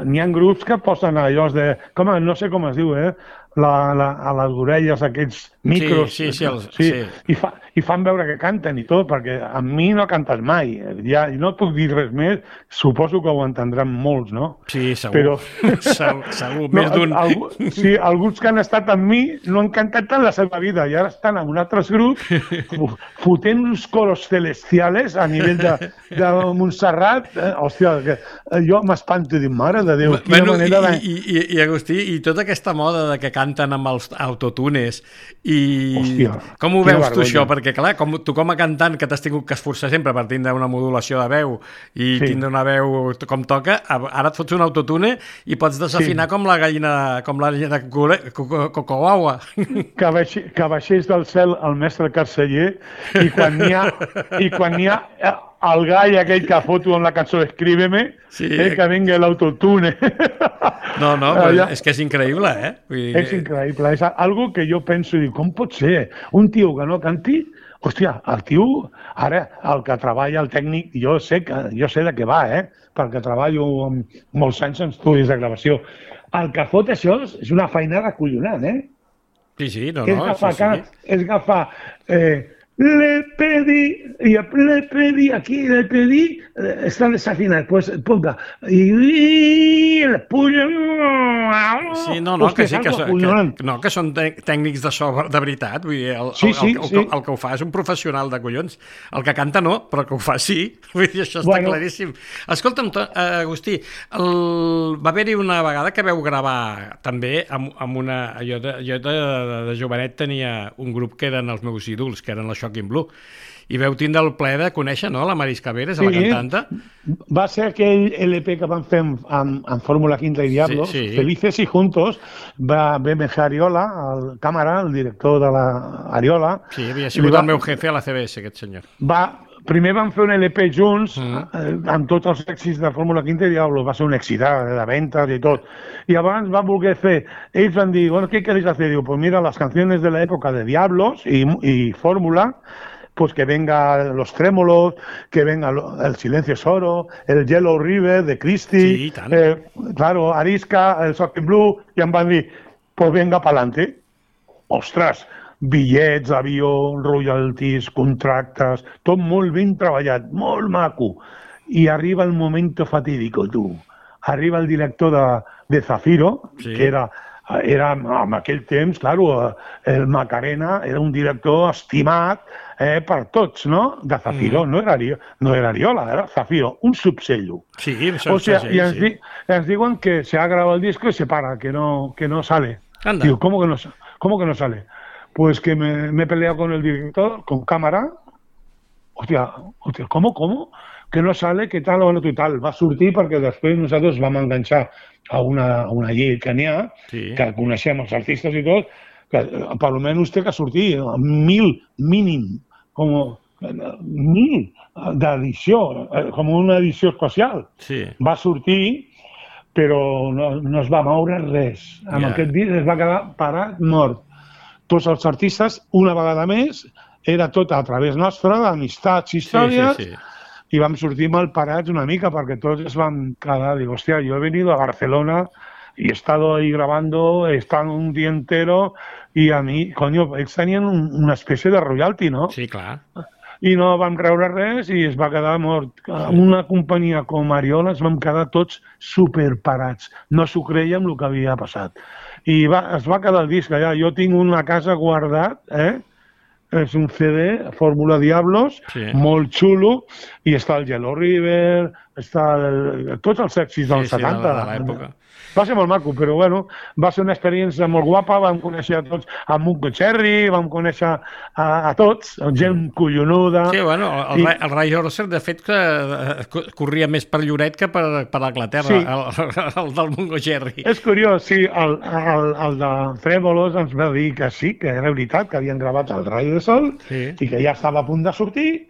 N'hi ha grups que posen allò de... Com, no sé com es diu, eh? La, la, a les orelles aquests micros. Sí, sí, sí. Els, sí. sí. I, fa, I fan veure que canten i tot, perquè amb mi no cantes mai. Ja, no et puc dir res més, suposo que ho entendran molts, no? Sí, segur. Però... segur, segur, més no, d'un. Algú, sí, alguns que han estat amb mi no han cantat tant la seva vida i ara estan en altres grups fotent uns coros celestials a nivell de, de Montserrat. Eh? Hòstia, que jo m'espanto i dic, mare de Déu, quina bueno, manera de... I, i, i, Agustí, i tota aquesta moda de que canten amb els autotunes i hòstia, com ho veus tu això? Perquè clar, com, tu com a cantant que t'has tingut que esforçar sempre per tindre una modulació de veu i sí. tindre una veu com toca, ara et fots un autotune i pots desafinar sí. com la gallina com la gallina de Cocoaua. Que, baixi, que baixés del cel el mestre Carceller i quan n'hi ha, i quan n'hi ha el gall aquell que foto en la cançó Escríbeme, sí. eh, que vingui l'autotune. No, no, però ja, és que és increïble, eh? Vull dir... És increïble, és algo que jo penso i dic, com pot ser? Un tio que no canti, hòstia, el tio, ara, el que treballa, el tècnic, jo sé, que, jo sé de què va, eh? Perquè treballo amb molts anys en estudis de gravació. El que fot això és una feinada collonant, eh? Sí, sí, no, que no, és agafar, sí, sí. És agafar... Eh, le pedí, y le pedí, aquí le pedí, eh, está desafinado, pues ponga, y, y el puño... Sí, no, no, que sí, que, so, que, no, que són tècnics de so de veritat, vull dir, el, sí, sí, el, el, sí. el, el que ho fa és un professional de collons, el que canta no, però que ho fa sí, vull dir, això està bueno. claríssim. Escolta'm, Agustí, el... va haver-hi una vegada que veu gravar també amb, amb una... Jo, de, jo de, de jovenet tenia un grup que eren els meus ídols, que eren la Shocking Blue, i veu tindre el plaer de conèixer, no?, la Marisca Veres, sí, la cantanta. Va ser aquell L P que van fer amb, amb, amb Fórmula Quinta i Diablos, sí, sí. Felices y Juntos, va ve Ariola, el càmera, el director de la Ariola. Sí, havia sigut va, el meu jefe a la C B S, aquest senyor. Va, primer van fer un L P junts, mm. amb tots els èxits de Fórmula Quinta i Diablos, va ser un èxit de ventes i tot. I abans van voler fer, ells van dir, bueno, ¿qué queréis hacer? Digo, pues mira, las canciones de la época de Diablos y, y Fórmula, pues que venga Los Trémolos, que venga El Silencio es Oro, el Yellow River de Christie, Sí, i tant. eh, claro, Arisca, el Shocking Blue, i em van dir, pues venga pa'lante. Ostres, bitllets, avió, royalties, contractes, tot molt ben treballat, molt maco. I arriba el moment fatídico, tu. Arriba el director de, de Zafiro, Sí. que era, era, en aquell temps, claro, el Macarena era un director estimat eh, per tots, no? De Zafiro, Mm. no, era, Ari- no era Ariola, era Zafiro, un subsello. Sí, això O sea, està y ens, sí. di- ens diuen que se ha grabado el disco y se para, que no, que no sale. Anda. Digo, ¿cómo que no, sa- ¿cómo que no sale? Pues que me, me he peleado con el director, con cámara. Hòstia, hòstia, ¿cómo, cómo? Que no sale, que tal, bueno, i tal. Va sortir perquè després nosaltres vam enganxar a una, a una llei que n'hi ha, Sí. que coneixem els artistes i tot, que eh, per almenys té que sortir mil mínim, com mil d'edició, eh, com una edició especial. Sí. Va sortir, però no, no es va moure res. Amb Ja. aquest disc es va quedar parat, mort. Tots els artistes, una vegada més, era tot a través nostra, d'amistats i Sí, històries, sí, sí. i vam sortir mal parats una mica perquè tots es vam quedar, digo, hostia, yo he venido a Barcelona y he estado ahí grabando, he estado un día entero y a mí, coño, ells tenien un, una espècie de royalty, no? Sí, clar. I no vam treure res i es va quedar mort. Una companyia com Ariola es vam quedar tots superparats. No s'ho creiem el que havia passat. I va, es va quedar el disc allà. Jo tinc una casa guardat, eh? És un C D, Fórmula Diablos, Sí. molt xulo, i està el Yellow River, està el, tots els èxits dels Sí, sí, de la- setanta. de l'època. Va ser molt maco, però bueno, va ser una experiència molt guapa, vam conèixer a tots, a Mungo Cherry, vam conèixer a, a tots, gent collonuda. Sí, bueno, el, I- el, el Ray Orser, de fet, que eh, co- corria més per Lloret que per, per Anglaterra, Sí. el, el del Mungo Jerry. És curiós, sí, el, el, el de Trémolos ens va dir que sí, que era veritat, que havien gravat el Rayo de Sol Sí. i que ja estava a punt de sortir,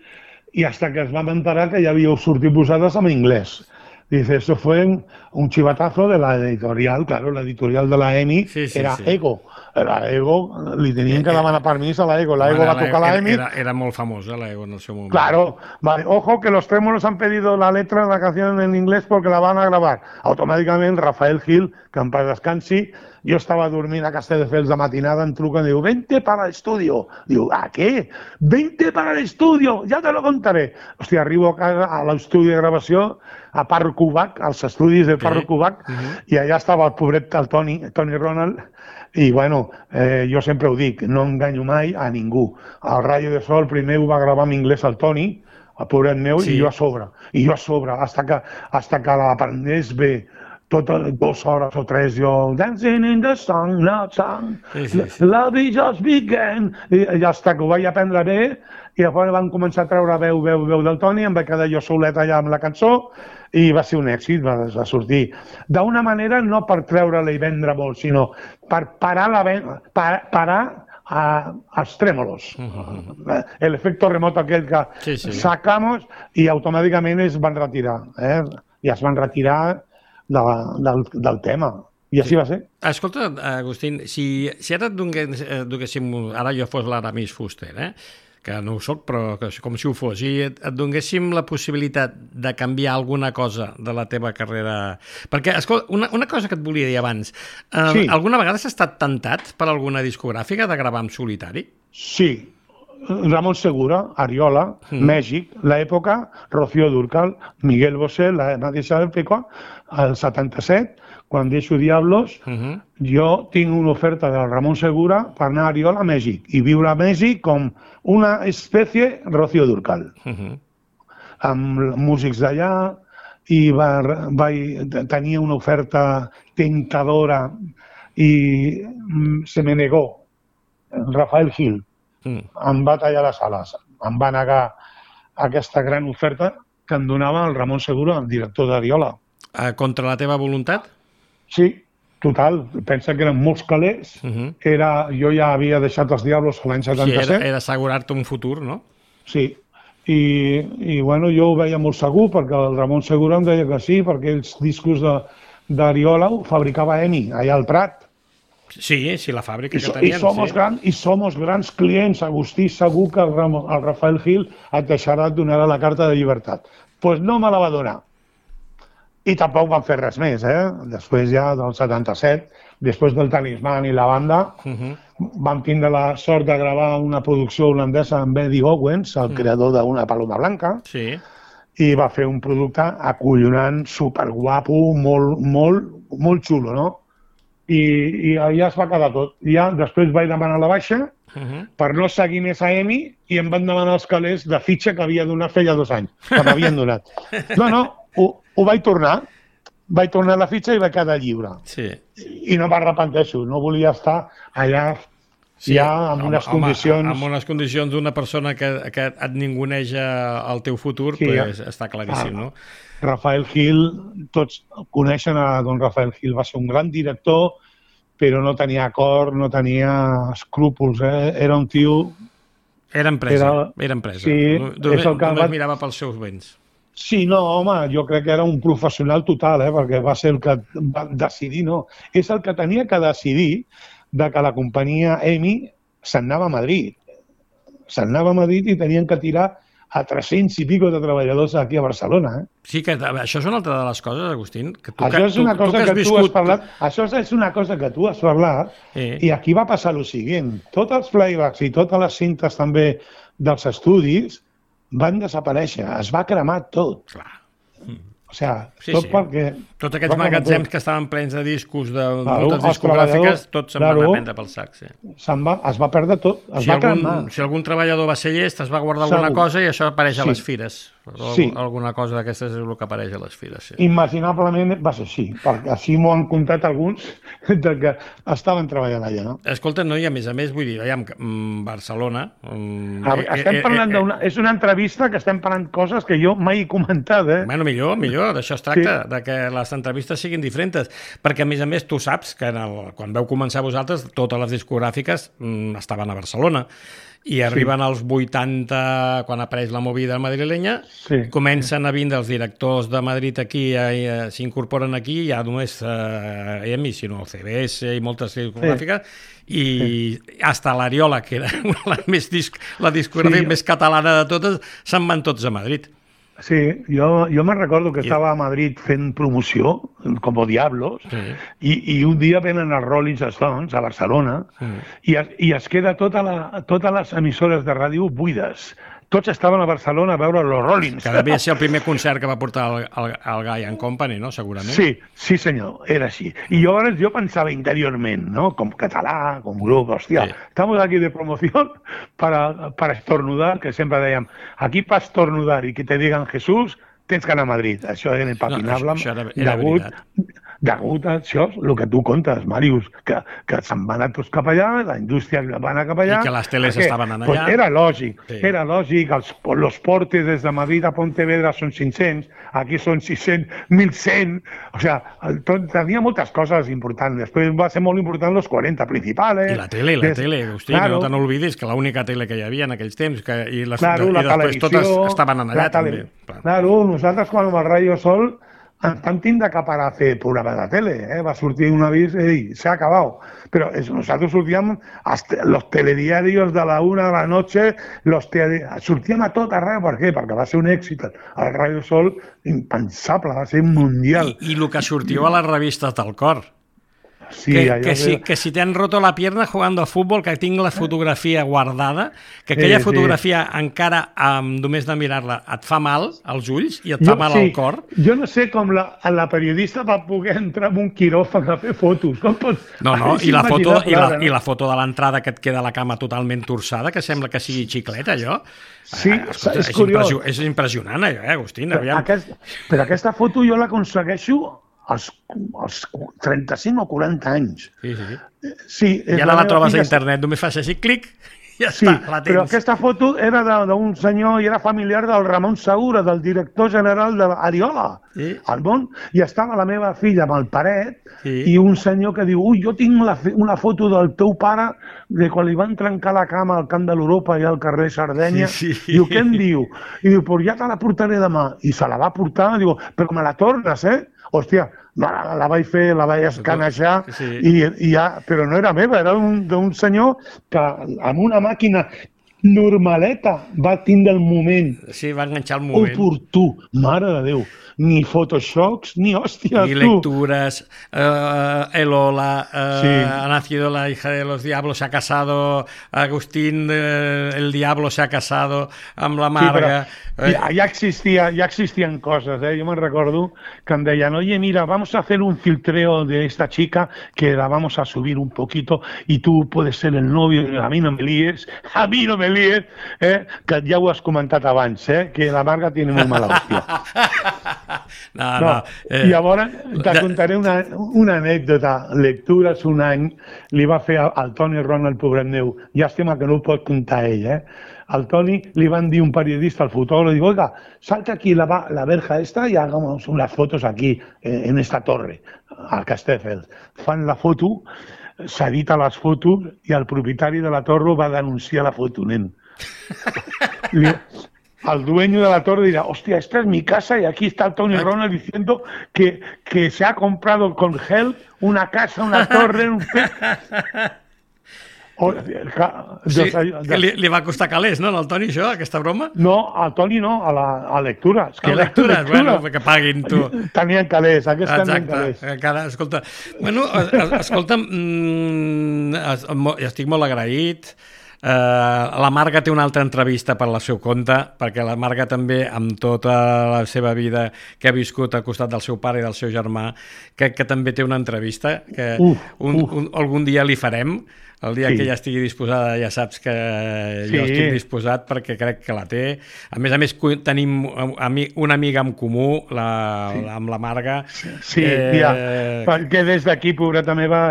i hasta que es vam enterar que ja havíeu sortit posades en inglès. Dice, eso fue un chivatazo de la editorial, claro, la editorial de la EMI Sí, sí, era sí. Ego. La Ego, li tenien que demanar permís a la Ego, la Ego Bueno, va tocar la era, EMI. era, era molt famosa, l'Ego, en el seu moment. Claro, vale. Ojo que los Trémolos han pedido la letra de la canción en inglés porque la van a grabar. Automáticamente Rafael Gil, que en paz descansi, jo estava dormint a Castelldefels de matinada, em truca i diu, vente para el estudio. Diu, ¿a qué? Vente para el estudio, ya te lo contaré. Hòstia, arribo a casa, a l'estudi de gravació, a Parro Cubac, als estudis de Parro Sí. Cubac, Uh -huh. i allà estava el pobret, el Toni, Toni Ronald, i bueno, eh, jo sempre ho dic, no enganyo mai a ningú. El Rayo de Sol primer ho va gravar en anglès el Toni, el pobret meu, Sí. i jo a sobre, i jo a sobre, hasta que, hasta que l'aprendés bé, totes dues hores o tres, jo, dancing in the sun, not sun, Sí, sí, sí. love is just began, i, i hasta que ho vaig aprendre bé, i llavors van començar a treure veu, veu, veu del Toni, em vaig quedar jo solet allà amb la cançó, i va ser un èxit, va, va sortir. D'una manera, no per treure-la i vendre molt, sinó per parar, la, ven- par, parar a, als Trémolos. Uh -huh. El efecto remoto aquell que Sí, sí. sacamos i automàticament es van retirar. Eh? I es van retirar de, del, del tema. I així va ser. Escolta, Agustín, si, si ara et dongués, eh, donguéssim, ara jo fos l'Aramis Fuster, eh? que no ho soc, però que, com si ho fos, i et, et donguéssim la possibilitat de canviar alguna cosa de la teva carrera... Perquè, escolta, una, una cosa que et volia dir abans, eh, Sí. alguna vegada has estat tentat per alguna discogràfica de gravar en solitari? Sí. Ramon Segura, Ariola, Mm. Mèxic, l'època, Rocío Dúrcal, Miguel Bosé, la mateixa època, el setanta-set, quan deixo Diablos, Uh -huh. jo tinc una oferta del Ramon Segura per anar a Ariola a Mèxic i viure a Mèxic com una espècie Rocío Dúrcal, Uh -huh. amb músics d'allà, i va, vaig, tenia una oferta tentadora i mm, se me negó. Rafael Gil Mm. em va tallar les ales, em va negar aquesta gran oferta que em donava el Ramon Segura, el director d'Ariola. Eh, contra la teva voluntat? Sí, total, pensa que eren molts calés, Uh -huh. era, jo ja havia deixat els Diablos l'any Sí, era, setanta-set, era assegurar-te un futur, no? sí, i, i bueno, jo ho veia molt segur perquè el Ramon Segura em deia que sí, perquè els discos de- d'Ariola ho fabricava EMI, allà al Prat. Sí, sí, la fàbrica I, que so, tenien. i, somos sí. gran, I somos grans clients. Agustí, segur que el, Ram, el Rafael Gil et deixarà, et donarà la carta de llibertat. Doncs pues no me la va donar. I tampoc van fer res més, eh? Després ja del setanta-set, després del Talisman i la banda, uh -huh. vam tindre la sort de gravar una producció holandesa amb Eddie Owens, el uh -huh. creador d'Una Paloma Blanca, sí. i va fer un producte acollonant, superguapo, molt, molt, molt xulo, no? I, i ja es va quedar tot. Ja després vaig demanar la baixa uh -huh. per no seguir més a EMI i em van demanar els calés de fitxa que havia donat feia dos anys, que m'havien donat. No, no, ho, ho vaig tornar, vaig tornar la fitxa i vaig quedar lliure. Sí. I no m'arrepenteixo, no volia estar allà sí, ja amb unes home, condicions... Amb unes condicions d'una persona que, que et ninguneja el teu futur, sí, pues, ja. Està claríssim, ah, no? Rafael Gil, tots coneixen a don Rafael Gil, va ser un gran director, però no tenia acord, no tenia escrúpols, eh? Era un tio... Era empresa, era, era empresa. Sí, només només va... mirava pels seus béns. Sí, no, home, jo crec que era un professional total, eh? Perquè va ser el que va decidir, no. És el que tenia que decidir de que la companyia EMI se'n anava a Madrid. Se'n anava a Madrid i tenien que tirar a tres-cents i pico de treballadors aquí a Barcelona. Eh? Sí, que això és una altra de les coses, Agustín. Que tu, això és una tu, cosa tu que, que viscut... tu has parlat. Això és una cosa que tu has parlat eh. i aquí va passar el següent. Tots els playbacks i totes les cintes també dels estudis van desaparèixer. Es va cremar tot. Clar. O sigui, sí, tot sí. perquè... Tots aquests magatzems que estaven plens de discos, de claro, moltes discogràfiques, tots se'n claro, van a prendre pel sac. Sí. Se'n va, es va perdre tot, es si va algun, cremar. Si algun treballador va ser llest, es va guardar Segur. alguna cosa i això apareix a les sí. fires. Sí. Alguna cosa d'aquestes és el que apareix a les fires. Sí. Imaginablement va ser així, perquè així m'ho han contat alguns de que estaven treballant allà, no? Escolta, no, i a més a més, vull dir, veiem, Barcelona... Um, ah, estem parlant eh, eh, d'una... És una entrevista que estem parlant coses que jo mai he comentat, eh? Bueno, millor, millor, d'això es tracta, sí. de que les entrevistes siguin diferents, perquè a més a més tu saps que en el, quan veu començar vosaltres totes les discogràfiques mm, estaven a Barcelona i arriben sí. als vuitanta, quan apareix la movida madrilenya, sí. comencen a vindre els directors de Madrid aquí, eh, s'incorporen aquí, ja només eh, EMI, sinó el C B S i moltes discogràfiques, sí. i sí. hasta l'Ariola, que era la, més disc, la discogràfica sí. més catalana de totes, se'n van tots a Madrid. Sí, jo, jo me'n recordo que I... estava a Madrid fent promoció, com Diablos, sí. i, i un dia venen els Rolling Stones a Barcelona sí. i, es, i es queda tota la, totes les emissores de ràdio buides. Tots estaven a Barcelona a veure els Rollins. Que devia ser el primer concert que va portar el, el, el Guy and Company, no? Segurament. Sí, sí senyor, era així. I jo, jo pensava interiorment, no? Com català, com grup, hòstia, sí. estamos aquí de promoción para, para estornudar, que sempre dèiem, aquí per estornudar i que te digan Jesús, tens que anar a Madrid. Això era impapinable. No, això, això era, era degut, veritat. Degut a això, el que tu contes, Màrius, que, que se'n van anar tots cap allà, la indústria va anar cap allà... I que les teles perquè, estaven allà. Pues era lògic, sí. era lògic. Els, los portes des de Madrid a Pontevedra són cinc-cents, aquí són sis-cents, mil cent... O sigui, tot, tenia moltes coses importants. Després va ser molt important los quaranta principals. I la tele, la des... tele, Agustí, claro. no te n'oblidis que l'única tele que hi havia en aquells temps, que, i, les, claro, i la després totes estaven allà també. Claro, nosaltres quan amb el Radio Sol ens vam tindre que parar a fer programa de tele, eh? Va sortir un avís, ei, s'ha acabat. Però es, nosaltres sortíem als los telediarios de la una de la noche, los tele... sortíem a tot arreu. Per què? Perquè va ser un èxit. El Radio Sol, impensable, va ser mundial. I, i el que sortiu a les revistes del cor. Sí, que, que, si, que si te han roto la pierna jugando a fútbol, que tinc la fotografia guardada, que aquella sí, fotografia sí. encara, um, només de mirar-la, et fa mal als ulls i et fa jo, mal sí. al cor. Jo no sé com la, la periodista va poder entrar en un quiròfan a fer fotos. Com pot... No, no, i la, foto, i, la, i la foto de l'entrada que et queda la cama totalment torçada, que sembla que sigui xiclet, allò. Sí, ah, escolta, és, és curiós. És impressionant, allò, eh, Agustín? Però, aquest, però aquesta foto jo l'aconsegueixo als, als trenta-cinc o quaranta anys. Sí, sí. sí I ara la, la trobes a internet, només fas així, clic, i ja sí, està, la tens. Però aquesta foto era d'un senyor i era familiar del Ramon Segura, del director general d'Ariola, sí. al món, i estava la meva filla amb el paret, sí. i un senyor que diu, ui, jo tinc la, una foto del teu pare de quan li van trencar la cama al camp de l'Europa i al carrer Sardenya, sí, sí. Diu, què em diu? I diu, pues ja te la portaré demà. I se la va portar, diu, però me la tornes, eh? Hòstia, la, la vaig fer, la vaig escanejar, sí. i, i ja, però no era meva, era d'un senyor que amb una màquina normaleta va tindre el moment. Sí, va enganxar el moment. Oportú, mare de Déu. Ni Photoshops, ni hòstia, ni tu. lecturas, uh, Elola, uh, sí. ha nacido la hija de los diablos, se ha casado, Agustín, uh, el diablo se ha casado amb la Marga. Sí, ja, ja, existia, ja existien coses, eh? Jo me'n recordo que em deien, oye, mira, vamos a hacer un filtreo de esta chica que la vamos a subir un poquito y tú puedes ser el novio, a mi no me líes, a mi no me líes, eh? Que ja ho has comentat abans, eh? Que la Marga tiene molt mala hòstia. No, no. no. Eh, Llavors, te contaré una, una anècdota. Lectures un any li va fer al Toni Ron, el pobret meu. Llàstima que no ho pot contar ell, eh? Al Toni li van dir un periodista, al fotògraf, diu, oiga, salta aquí la, la verja esta y hagamos unas fotos aquí, eh, en esta torre, al Castelldefels. Fan la foto, s'edita les fotos i el propietari de la torre va denunciar la foto, nen. Li, el dueño de la torre dirá, hostia, esta es mi casa y aquí está el Tony Ronald diciendo que, que se ha comprado con Help una casa, una torre, un... O, sí, que li, li va costar calés, no, al Toni, això, aquesta broma? No, al Toni no, a, la, a lectures. Que a lectures, lectura. Bueno, que paguin, tu. Tenien calés, aquests tenien calés. Encara, escolta, bueno, escolta'm, mm, estic molt agraït. Uh, la Marga té una altra entrevista per la seu compte, perquè la Marga també, amb tota la seva vida que ha viscut al costat del seu pare i del seu germà, que, que també té una entrevista que uf, un, uf. Un, algun dia li farem. El dia sí. que ja estigui disposada ja saps que sí. jo estic disposat, perquè crec que la té. A més a més tenim una amiga en comú, la, sí. la, amb la Marga. Sí, eh... ja, perquè des d'aquí, pobreta meva,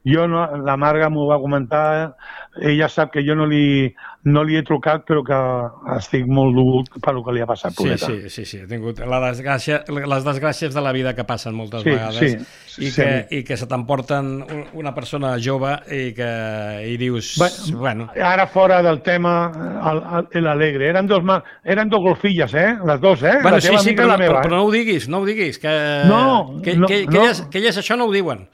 jo no, la Marga m'ho va comentar, ella sap que jo no li, no li he trucat, però que estic molt dur per el que li ha passat, pobreta. Sí, sí, sí, sí. He tingut la desgràcia, les desgràcies de la vida que passen moltes sí, vegades sí, i, sí. Que, i que se t'emporten una persona jove i que i dius... Bé, bueno. Ara fora del tema, l'alegre. Eren dos, eren dos golfilles, eh? Les dos, eh? Bueno, la teva sí, sí, amiga però, i la meva. Però, però no ho diguis, no ho diguis. Que, no, que, no, que, que, no. Elles, que elles això no ho diuen.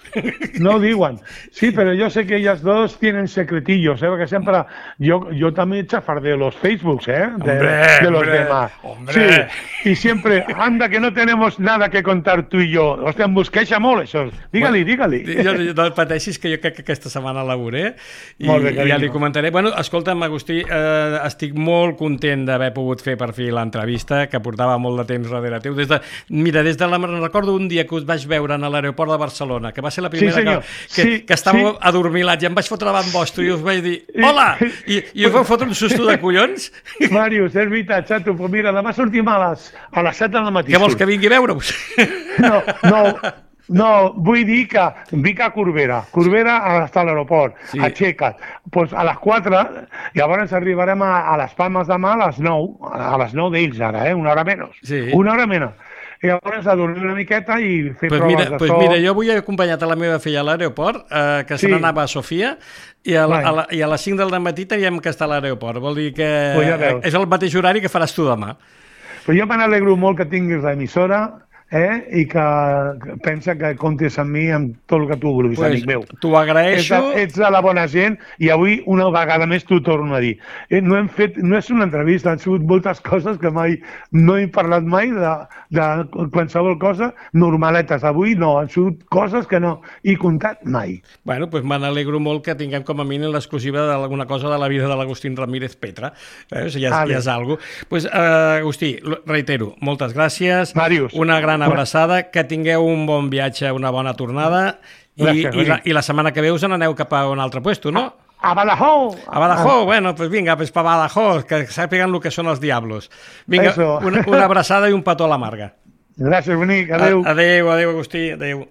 No ho diuen. Sí, pero yo sé que ellas dos tienen secretillos, ¿eh? Porque siempre... Yo, yo también chafardeo los Facebooks, ¿eh? De, hombre, de los hombre, demás. Hombre. Sí, y siempre, anda, que no tenemos nada que contar tú y yo. Hòstia, em busqueixa molt, això. Digue-li, digue-li. Jo, no et pateixis, que jo crec que aquesta setmana laboré i, bé, i ja li comentaré. Bueno, escolta'm, Agustí, eh, estic molt content d'haver pogut fer per fi l'entrevista, que portava molt de temps darrere teu. Des de, mira, des de la... recordo un dia que us vaig veure a l'aeroport de Barcelona, que va ser la primera sí, que, que, sí, que estàveu sí. adormilats i em vaig fotre davant vostre i us vaig dir, hola! I, i us vau fotre un susto de collons. Màrius, és veritat, xato, però mira, demà sortim a les, a les set del matí. Què vols, que vingui a veure-us? No, no, no, vull dir que vinc a Corbera, Corbera està a l'aeroport, sí. Aixeca't, pues a les quatre, llavors arribarem a, a les Palmes demà a les nou, a les nou d'ells ara, eh? Una hora menys, sí. una hora menys. I llavors a dormir una miqueta i fer pues proves mira, de pues so. Mira, jo avui he acompanyat a la meva filla a l'aeroport, eh, que sí. se n'anava a Sofia, i a, la, a, la, i a les cinc del matí teníem que estar a l'aeroport. Vol dir que pues ja és el mateix horari que faràs tu demà. Però jo me n'alegro molt que tinguis l'emissora, eh? I que pensa que comptes amb mi amb tot el que tu vulguis, pues, amic meu. T'ho agraeixo. Ets, ets de la bona gent i avui una vegada més t'ho torno a dir. Eh, no hem fet, no és una entrevista, han sigut moltes coses que mai no he parlat mai de, de qualsevol cosa, normaletes. Avui no, han sigut coses que no he contat mai. Bueno, doncs pues me n'alegro molt que tinguem com a mínim l'exclusiva d'alguna cosa de la vida de l'Agustín Ramírez Petra. Eh? O sigui, ja, ja és alguna cosa. Pues, uh, Agustí, reitero, moltes gràcies. Màrius. Una gran abraçada, que tingueu un bon viatge, una bona tornada i, gràcies, i, la, i la setmana que ve us n'aneu cap a un altre puesto, no? A, a Badajoz! A Badajoz, ah. Bueno, pues vinga, pues pa Badajoz, que sàpiguen el que són els diablos. Vinga, una, una abraçada i un petó a la Marga. Gràcies, bonic, adeu. A, adeu, adeu, Agustí, adeu.